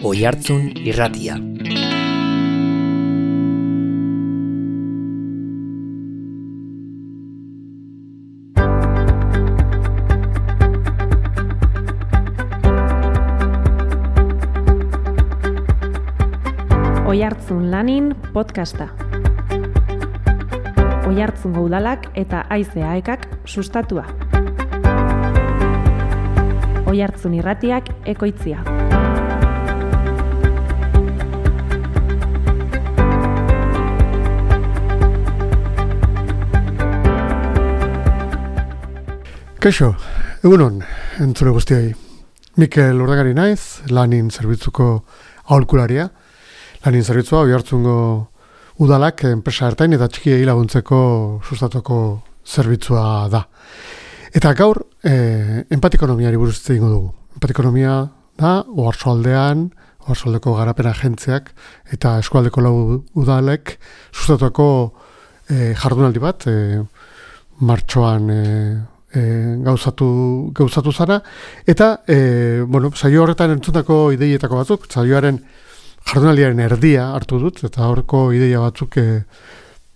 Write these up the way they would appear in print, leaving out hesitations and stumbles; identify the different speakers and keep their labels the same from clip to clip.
Speaker 1: Oihartzun Irratia.
Speaker 2: Oihartzun Lanin podcasta. Oihartzungo udalak eta AICAek sustatua. Oihartzun Irratiak ekoitzia.
Speaker 3: Kaixo, egunon, entzule guztioi. Mikel Urdagari naiz, Lanin zerbitzuko aholkularia. Lanin zerbitzua Oihartzungo udalak enpresa ertain eta txikiei laguntzeko sustatuko zerbitzua da. Eta gaur, empatikonomiari buruz hitz egingo dugu. Empatikonomia da, Oarsoaldeko garapen agentziak eta eskualdeko lau udalek sustatuko jardunaldi bat, martxoan gauzatu zara, eta saio horretan entzutako ideietako batzuk, saioaren jardunaldiaren erdia hartu dut, eta horreko ideia batzuk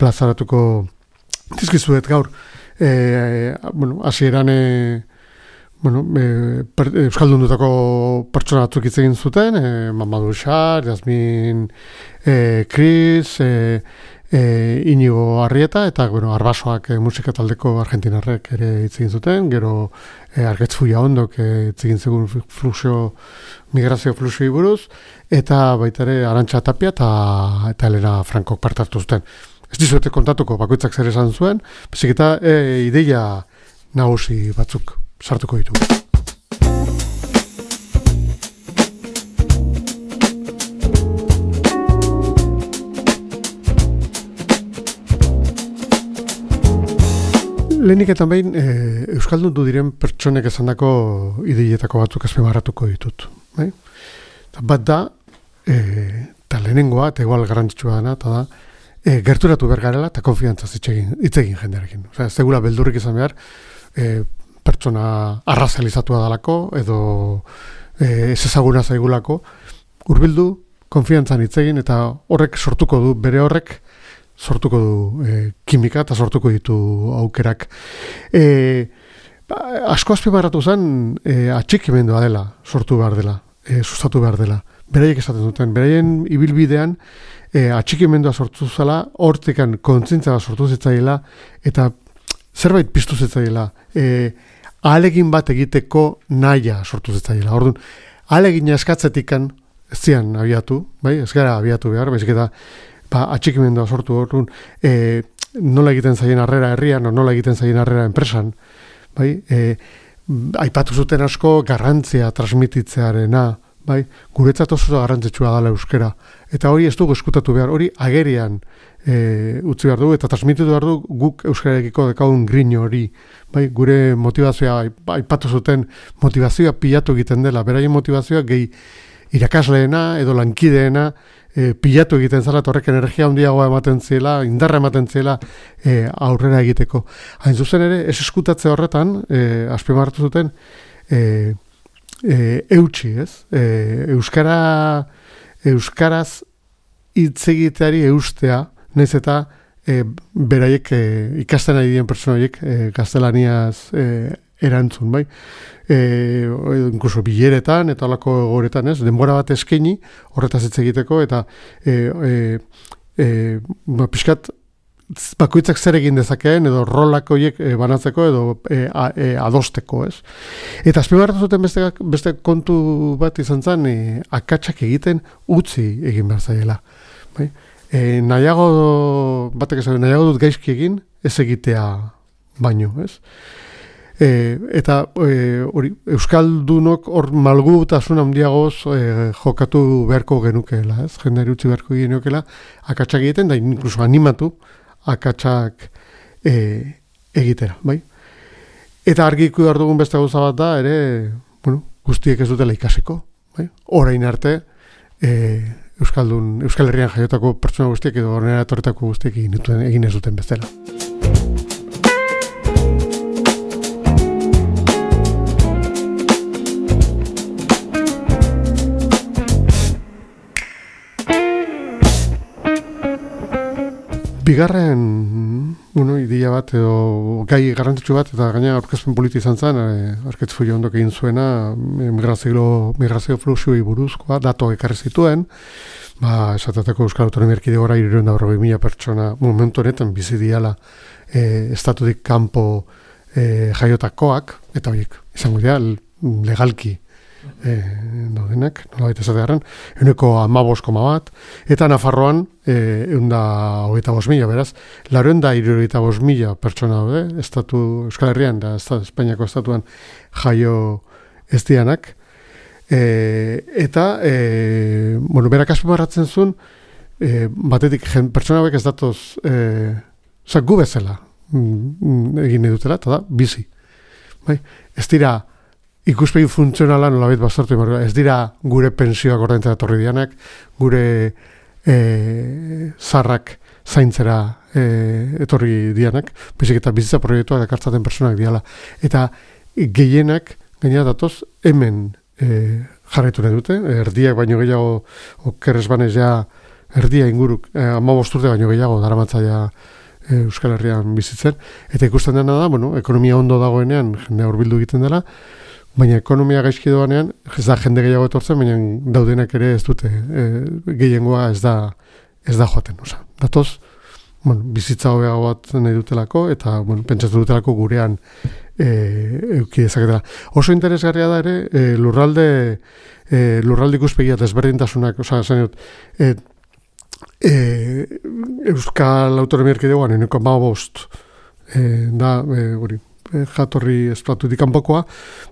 Speaker 3: plazaratuko dizkizuet gaur. Hasieran euskaldundutako pertsona batzuk hitz egin zuten, Mamadou Xar, Jasmin Cris, Inigo Arrieta, eta Arbasoak musika taldeko argentinarrek ere hitz egin zuten, gero Argetz Fullaondok hitz egin zegoen migrazio fluxui buruz, eta baita ere Arantxa Tapia eta Elena Frankok parte hartu zuten. Ez dizuete kontatuko bakoitzak zer esan zuen, bezik eta ideia nagusi batzuk sartuko ditu. Lehenik eta behin, euskaldundu diren pertsonek esandako ideietako batzuk azpimarratuko ditut. Bat da, eta lehenengoa, eta igual garrantzitsua dena, eta da, gerturatu behar garela eta konfiantzaz hitz egin jendearekin. Ez degula beldurrik izan behar, pertsona arrazalizatua dalako, edo ez ezaguna zaigulako, hurbildu, konfiantzan hitz egin, eta horrek sortuko du, bere horrek, sortuko du kimika eta sortuko ditu aukerak. Asko azpimarratu zen atxikimendua dela, sortu behar dela, sustatu behar dela. Beraiek esaten duten, beraien ibilbidean atxikimendua sortu zela, hortikan kontzientzia sortu zitzaiela, eta zerbait piztu zitzaiela, ahalegin bat egiteko nahia sortu zitzaiela. Orduan, ahalegina eskatzetikan ez zian abiatu, ez gara abiatu behar, baizik eta atxikimendua sortu orduan, nola egiten zaien harrera herrian, nola egiten zaien harrera enpresan, aipatu zuten asko garrantzia transmititzearena, guretzat oso garrantzitsua dela euskera. Eta hori ez dugu eskutatu behar, hori agerian utzi behar dugu, eta transmititu behar dugu guk euskararekiko dekagun grin hori. Gure motivazioa, aipatu zuten motivazioa pilatu egiten dela, beraien motivazioa gehi irakasleena edo lankideena pilatu egiten zela, horrek energia handiagoa ematen ziela, indarra ematen ziela aurrera egiteko. Hain zuzen ere, ez eskutatze horretan, azpimarratu zuten, eutsi, ez? Euskaraz hitz egiteari eustea, nahiz eta beraiek ikasten ari diren pertsona horiek gaztelaniaz erantzun, incluso bileretan eta holako egoeretan, ez? Denbora bat eskaini horretaz hitz egiteko eta pixkat bakoitzak zer egin dezakeen edo rolak horiek banatzeko edo adosteko, ez? Eta azpimarratu zuten beste kontu bat izan zen, akatsak egiten utzi egin behar zaiela. Nahiago dut gaizki egin, ez egitea baino, ez? Eta euskaldunok hor malgutasun handiagoz jokatu beharko genukeela, ez? Jendeari utzi beharko genukeela, akatsak egiten, da inkluso animatu akatsak egitera, Eta argi ikusi behar dugun beste gauza bat da, ere, guztiek ez dutela ikasiko, Orain arte, Euskal Herrian jaiotako pertsona guztiek edo horrela etorretako guztiek egin ez duten bezala. Bigarren, ideia bat edo gai garrantzitsu bat, eta gaina aurkezpen politi izan zen, Arketz Fuio ondok egin zuena, migrazio fluxuei buruzkoa, datuak ekarri zituen, esatateko Euskal Autonomia Erkidegora 340.000 pertsona momentu honetan bizi diala estatutik kanpo jaiotakoak, eta horiek izango dira legalki daudenak, nolabait esatearen, 15,1, eta Nafarroan 125.000, beraz, 475.000 pertsona daude, Euskal Herrian, da Espainiako estatuan jaio ez dianak, eta, berak azpimarratzen zuen, batetik pertsona hauek ez datoz, gu bezala egin edutela, eta da, bizi. Ez dira, ikuspegi funtzionala nolabait baztertu, ez dira gure pensioak ordaintzera etorri dianak, gure zarrak zaintzera etorri dianak, baizik eta bizitza proiektuak ekartzaten personak diala. Eta gehienak, gaina datoz, hemen jarraitu nahi dute, erdiak baino gehiago, okerrez banez ja, erdia inguruk, 15 urte baino gehiago daramatzaia Euskal Herrian bizitzen, eta ikusten dena da, ekonomia ondo dagoenean, jendea hurbildu egiten dela, baina ekonomia gaizki doanean, ez da jende gehiago etortzen, baina daudenak ere ez dute, gehiengoa ez da joaten. Datoz, bizitza hobeago bat nahi dutelako, eta pentsatu dutelako gurean euki dezaketela. Oso interesgarria da ere, lurralde ikuspegia desberdintasunak, Euskal Autonomia Erkidegoan 15 da, jatorri estatutik kanpokoa,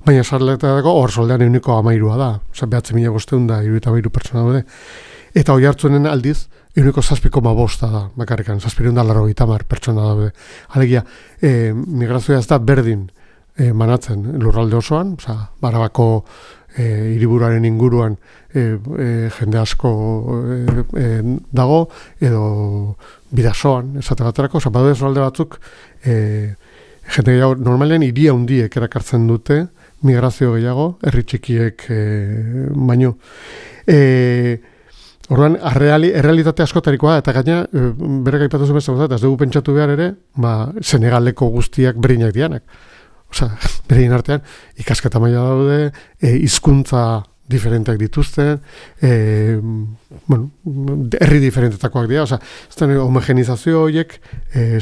Speaker 3: baina sarletako hor soldean 13 da, 9.500 pertsona daude. Eta hori hartzuenen aldiz, 7,5 da, bakarrikan, 780 pertsona daude. Alegia, migrazioa ez da berdin manatzen lurralde osoan, Barabako hiriburuaren inguruan jende asko dago, edo Bidasoan, esate baterako, badaude lurralde batzuk, jende gehiago, normalean hiria handiek erakartzen dute, migrazio gehiago, herri txikiek baino. Orduan, errealitate askotarikoa, eta gaina, berek aipatu zen bezala, eta ez dugu pentsatu behar ere, Senegaleko guztiak berinak dianak. Berein artean, ikasketa maila daude, hizkuntza diferenteak dituzten, herri diferentetakoak dira, homogenizazio horiek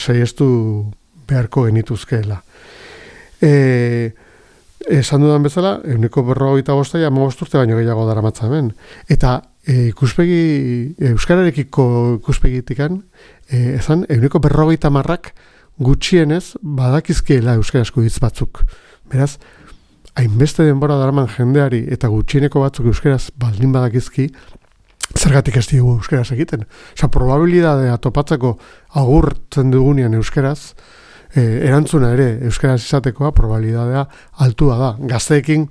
Speaker 3: saiestu beharko genituzkeela. Esan dudan bezala, 145 urte baino gehiago daramatza hemen. Eta euskararekiko ikuspegitikan, ezan, 150 gutxienez badakizkiela euskarazko hitz batzuk. Beraz, hainbeste denbora daraman jendeari eta gutxieneko batzuk euskaraz baldin badakizki, zergatik ez dugu euskaraz egiten. Probabilidadea topatzeko agurtzen dugunean euskaraz, erantzuna ere euskaraz izatekoa probabilidadea altua da. Gazteekin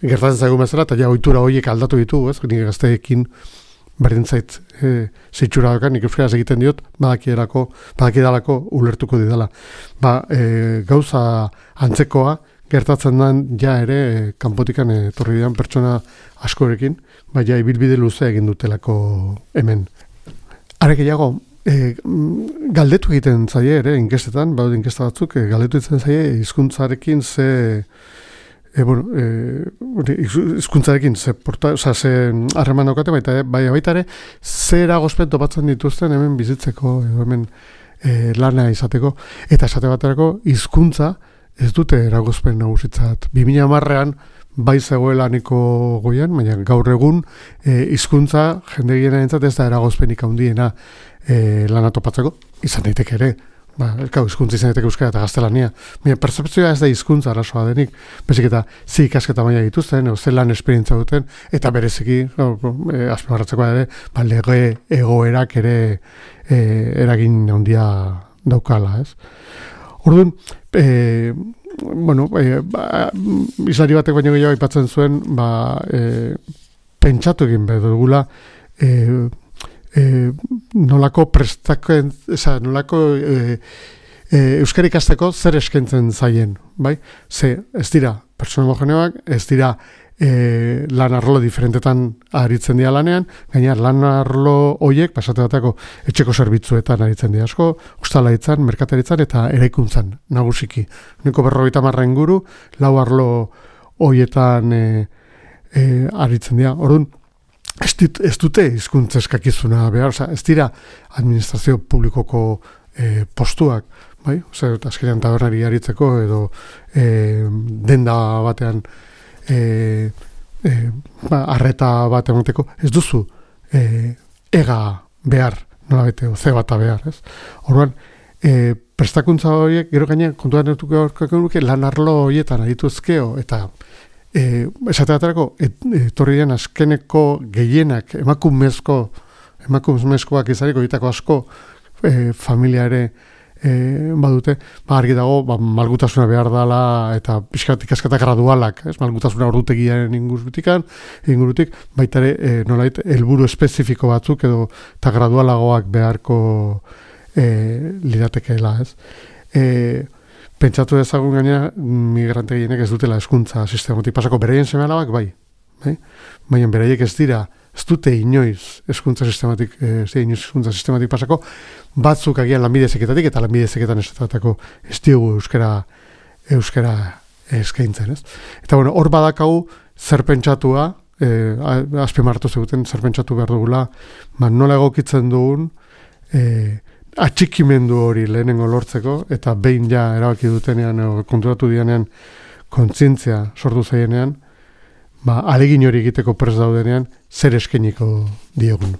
Speaker 3: gertatzen zaigu bezala, eta ja ohitura horiek aldatu ditugu, ez? Nik gazteekin berdin zait zitxura dokan, nik euskaraz egiten diot, badakidalako ulertuko didala. Gauza antzekoa gertatzen den ja ere kanpotikan etorri dian pertsona askorekin, ja ibilbide luze egin dutelako hemen. Are gehiago, galdetu egiten zaie ere, inkestetan, baude inkesta batzuk, galdetu egiten zaie hizkuntzarekin ze hizkuntzarekin ze harreman daukate, baita ere, ze eragozpen topatzen dituzten hemen bizitzeko, hemen lana izateko, eta esate baterako hizkuntza ez dute eragozpen nagusitzat. 2010an bai zegoela niko goian, baina gaur egun hizkuntza jende gehienarentzat ez da eragozpenik handiena lana topatzeko, izan daiteke ere. Hizkuntza izan daiteke euskara eta gaztelania. Baina pertzepzioa ez da hizkuntza arazoa denik, bezik eta ze ikasketa maila dituzten, ze lan esperientza duten, eta bereziki, azpimarratzeko ere, lege egoerak ere eragin handia daukala, ez? Orduan, izari batek baino gehiago aipatzen zuen, pentsatu egin behar dugula, nolako prestakoen, nolako euskara ikasteko zer eskaintzen zaien, bai? Ze, ez dira pertsona homogeneoak, ez dira lan arlo diferentetan aritzen dira lanean, gaina lan arlo horiek, pasateatako etxeko zerbitzuetan aritzen dira asko, ostalaritzan, merkataritzan eta eraikuntzan, nagusiki. Uniko 50 inguru, 4 arlo horietan aritzen dira. Orduan, ez dute hizkuntza eskakizuna behar, ez dira administrazio publikoko postuak, bai? Azkenean tabernari aritzeko edo denda batean arreta bat emateko, ez duzu ega behar, nola bete, ze bata behar, ez? Orduan, prestakuntza horiek, gero gaina, kontuan ertuko lan arlo horietan arituzkeo, eta esateaterako, etorri den azkeneko gehienak, emakumezkoak izariko ditako asko, familia ere badute, argi dago, malgutasuna behar dela eta pixkat ikasketa gradualak, malgutasuna ordutegiaren ingurutik, baita ere nolait helburu espezifiko batzuk edo eta gradualagoak beharko liratekeela, ez? Pentsatu dezagun gainera migrante gehienek ez dutela hezkuntza sistematik pasako, beraien seme-alabak bai? Baina beraiek ez dute inoiz hezkuntza sistematik pasako, batzuk agian lanbide heziketatik eta lanbide heziketan esatatako ez diogu euskara eskaintzen, ez? Eta bueno, hor badakagu zer pentsatua, azpimarratu ziguten zer pentsatu behar dugula, nola egokitzen dugun atxikimendu hori lehenengo lortzeko, eta behin ja erabaki dutenean, konturatu dianean, kontzientzia sortu zaienean, alegin hori egiteko prest daudenean, zer eskeniko diogun.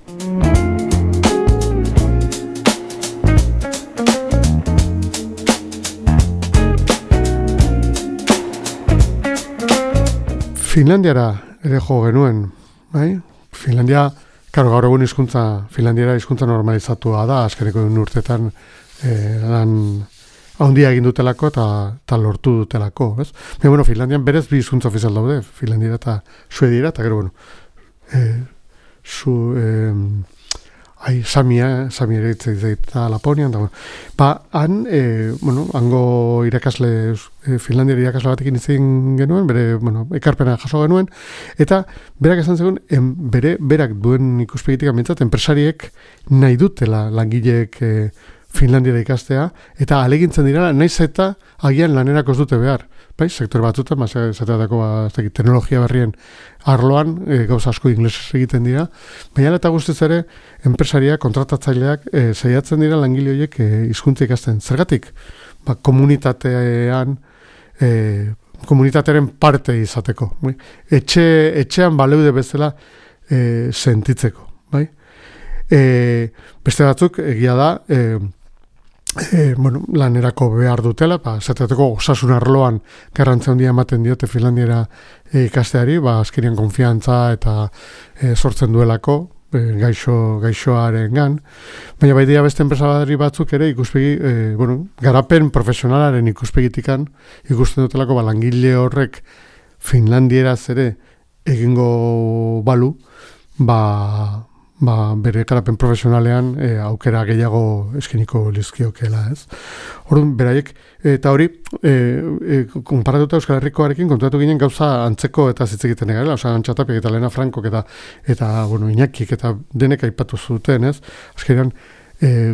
Speaker 3: Finlandiara ere jo genuen, bai? Finlandia, gaur egun Finlandiara hizkuntza normalizatua da, azkeneko urtetan lan handia egin dutelako eta lortu dutelako, ez? Baina, Finlandian berez bi hizkuntza ofizial daude, Finlandiera eta Suediera, eta gero, Samia ere eta Laponian, hango irakasle, Finlandiera irakasle batekin izan genuen, bere, ekarpena jaso genuen, eta berak esan zegoen, berak duen ikuspegitik amintzat, enpresariek nahi dutela langileek Finlandiera ikastea, eta alegintzen dira, naiz eta agian lanerako ez dute behar. Bai, sektore batzutan, zateatako teknologia berrien arloan, gauza asko inglesez egiten dira, baina eta guztiz ere, enpresaria, kontratatzaileak, saiatzen dira langile horiek hizkuntza ikasten. Zergatik? Komunitatearen parte izateko. Bai? Etxean baleude bezala sentitzeko. Bai? Beste batzuk, egia da, lanerako behar dutela, zateateko osasun arloan garrantzia handia ematen diote Finlandiera ikasteari, azkenian konfiantza eta sortzen duelako gaixoaren gan. Baina bai dira beste enpresari batzuk ere ikuspegi, garapen profesionalaren ikuspegitikan ikusten dutelako langile horrek Finlandieraz ere egingo balu, bere garapen profesionalean aukera gehiago eskeniko lizkiokela, ez? Orduan, beraiek, eta hori, konparatuta Euskal Herrikoarekin konturatu ginen gauza antzeko eta zitzegiten egarela, Antxatapiak eta Lena Frankok eta Iñakik eta denek aipatu zuten, ez? Azkenean,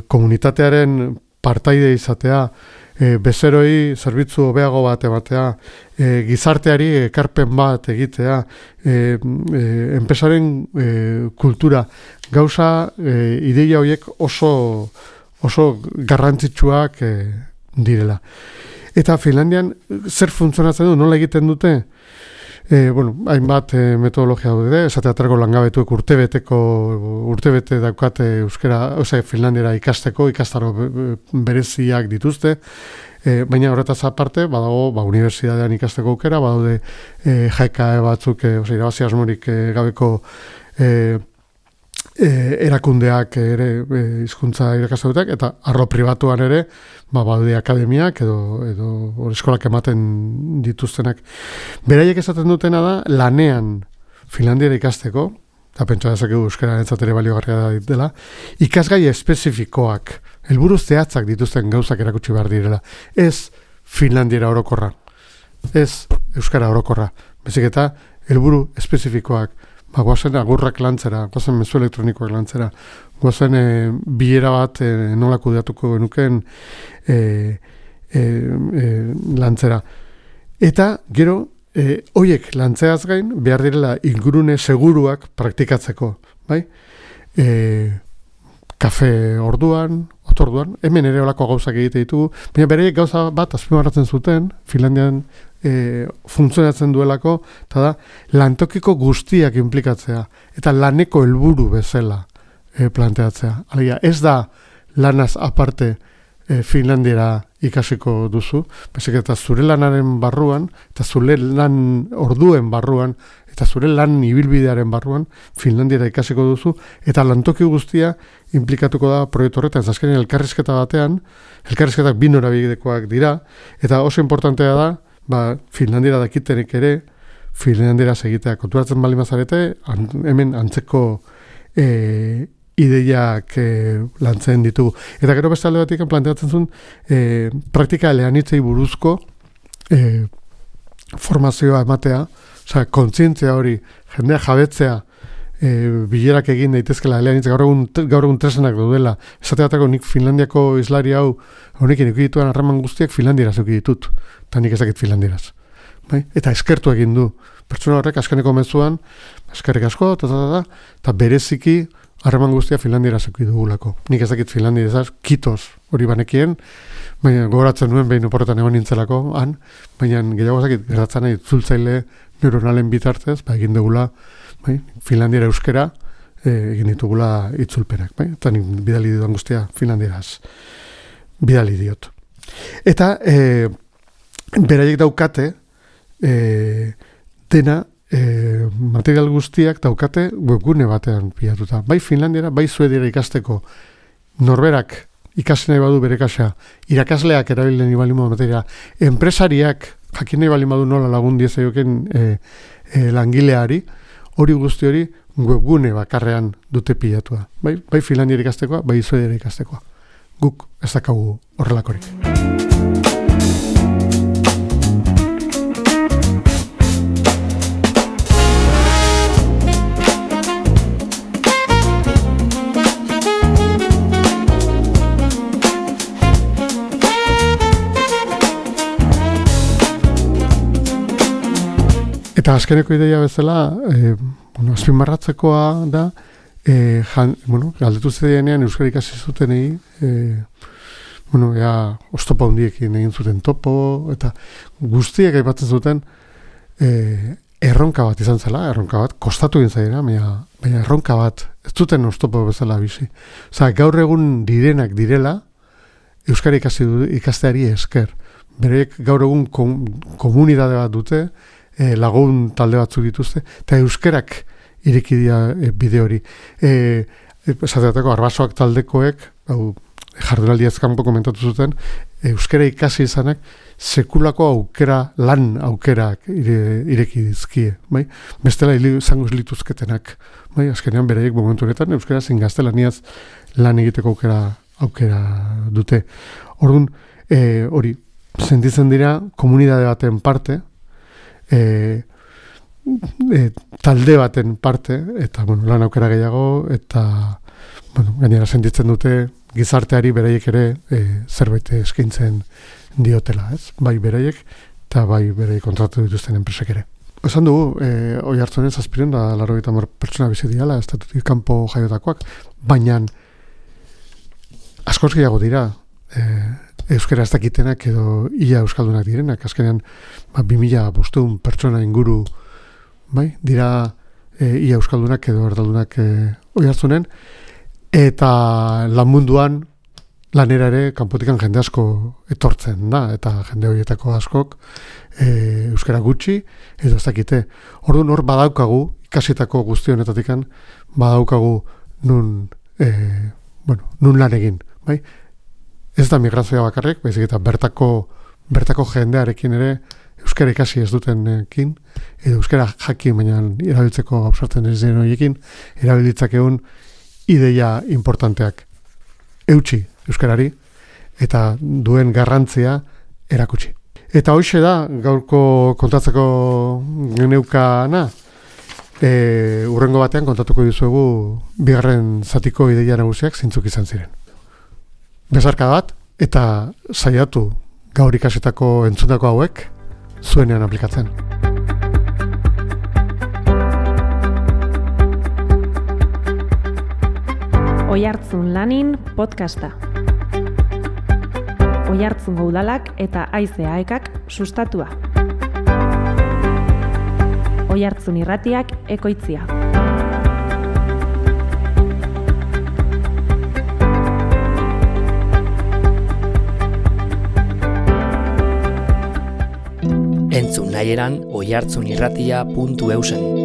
Speaker 3: komunitatearen partaide izatea, bezeroi zerbitzu hobeago bat ematea, gizarteari ekarpen bat egitea, enpresaren kultura, gauza ideia horiek oso garrantzitsuak direla. Eta Finlandian zer funtzionatzen du, nola egiten dute? Hainbat metodologia daude, esateaterako langabetuek urtebete daukate Finlandiera ikasteko, ikastaro bereziak dituzte, baina horretaz aparte, badago unibertsitatean ikasteko aukera, badaude JKE batzuk, irabazi asmorik gabeko erakundeak ere hizkuntza irakastutak, eta arlo pribatuan ere badaude akademiak edo eskolak ematen dituztenak. Beraiek esaten dutena da lanean Finlandiera ikasteko, eta pentsa dezakegu euskara ere baliogarria dela, ikasgai espezifikoak, helburu zehatzak dituzten gauzak erakutsi behar direla. Ez Finlandiera orokorra, ez euskara orokorra, bezik eta helburu espezifikoak, guazen agurrak lantzera, guazen mezu elektronikoak lantzera, guazen bilera bat nola kudeatuko genuken lantzera. Eta gero, hoiek lantzeaz gain, behar direla ingurune seguruak praktikatzeko, bai? Kafe orduan, otorduan, hemen ere olako gauzak egite ditugu, baina bereiek gauza bat azpimarratzen zuten, Finlandian funtzionatzen duelako, eta da, lantokiko guztiak implikatzea, eta laneko helburu bezala planteatzea. Alegia, ez da lanaz aparte Finlandiera ikasiko duzu, baizik eta zure lanaren barruan, eta zure lan orduen barruan, eta zure lan ibilbidearen barruan Finlandiera ikasiko duzu, eta lantoki guztia implikatuko da proiektu horretan. Azkenean elkarrizketa batean, elkarrizketak bi norabidekoak dira, eta oso importantea da, Finlandiera dakitenek ere, Finlandiera segitea. Konturatzen baldin bazarete, hemen antzeko ideiak lantzen ditugu. Eta gero beste alde batik planteatzen zuen praktika eleanitzei buruzko formazioa ematea, osea, kontzientzia hori, jendea jabetzea, bilerak egin daitezkela eleanitz, gaur egun tresenak daudela. Esate batako nik Finlandiako islari hau, honekin eukidituan harreman guztiak Finlandieraz eukiditut, eta nik ezakit Finlandieraz. Bai? Eta eskertu egin du. Pertsona horrek askaneko mezuan, eskerrik asko, eta bereziki harreman guztia Finlandieraz eukidugulako. Nik ezakit Finlandieraz, kitos hori banekien, baina gogoratzen nuen behin oporretan egon nintzelako, baina gehiago ezakit gertatzen nahi zultzaile neuronalen bitartez, egin dugula, Finlandiera euskera egin ditugula itzulpenak, eta nik bidali dudan guztia Finlandieraz bidali diot. Eta beraiek daukate dena material guztiak daukate webgune batean pilatuta. Bai Finlandiera, bai Suediera ikasteko norberak ikasi nahi badu bere kasa, irakasleak erabiltzen ibali modu materia, enpresariak jakin nahi bali badu nola lagun diezaioken langileari, hori guzti hori webgune bakarrean dute pilatua. Bai Finlandiera ikastekoa, bai Suediera ikastekoa. Guk ez dakagu horrelakorik. Eta azkeneko ideia bezala, azpimarratzekoa da, galdetu zedenean euskara ikasi zutenei, oztopo handiekin egin zuten topo, eta guztiek aipatzen zuten erronka bat izan zela, erronka bat, kostatu egin zaiena, baina erronka bat, ez zuten oztopo bezala bizi. Osa, gaur egun direnak direla, euskara ikasteari esker. Berek gaur egun komunidade bat dute, lagun talde batzuk dituzte, eta euskerak ireki dira bide hori. Esateatako, arbasoak taldekoek, jardunaldiaz kanpo komentatu zuten, euskera ikasi izanak, sekulako aukera, lan aukerak ireki dizkie. Bai? Bestela izango lituzketenak. Bai? Azkenean beraiek momentu honetan, euskera zein gaztelaniaz lan egiteko aukera dute. Orduan, hori, sentitzen dira komunidade baten parte, talde baten parte, eta lan aukera gehiago, eta gainera sentitzen dute gizarteari beraiek ere zerbait eskaintzen diotela, ez? Bai beraiek, eta bai beraiek kontratu dituzten enpresek ere. Esan dugu, hoi hartzonen zazpiren da 80 pertsona bizi diala, estatutik kanpo jaiotakoak, baina askoz gehiago dira, euskara ez dakitenak edo ia euskaldunak direnak, azkenean 2500 pertsona inguru dira ia euskaldunak edo erdaldunak hoi hartzunen, eta lan munduan lanera ere kanpotikan jende asko etortzen da, eta jende horietako askok euskara gutxi edo ez dakite. Orduan hor badaukagu, ikasitako guzti honetatikan badaukagu nun lan egin, bai? Ez da migrazioa bakarrik, baizik eta bertako jendearekin ere euskara ikasi ez dutenekin, edo euskara jakin, baina erabiltzeko ausartzen ez den horiekin, erabiltzakeun ideia importanteak eutsi euskarari, eta duen garrantzia erakutsi. Eta hoxe da, gaurko kontatzeko geneukana, urrengo batean kontatuko dizuegu bigarren zatiko ideia nagusiak zeintzuk izan ziren. Besarka bat, eta saiatu gaur ikasetako entzundako hauek zuenean aplikatzen.
Speaker 2: Oihartzun lanin podcasta. Oihartzungo udalak eta Haize AEKak sustatua. Oihartzun irratiak ekoitzia.
Speaker 1: Entzun nahieran oihartzunirratia.eusen.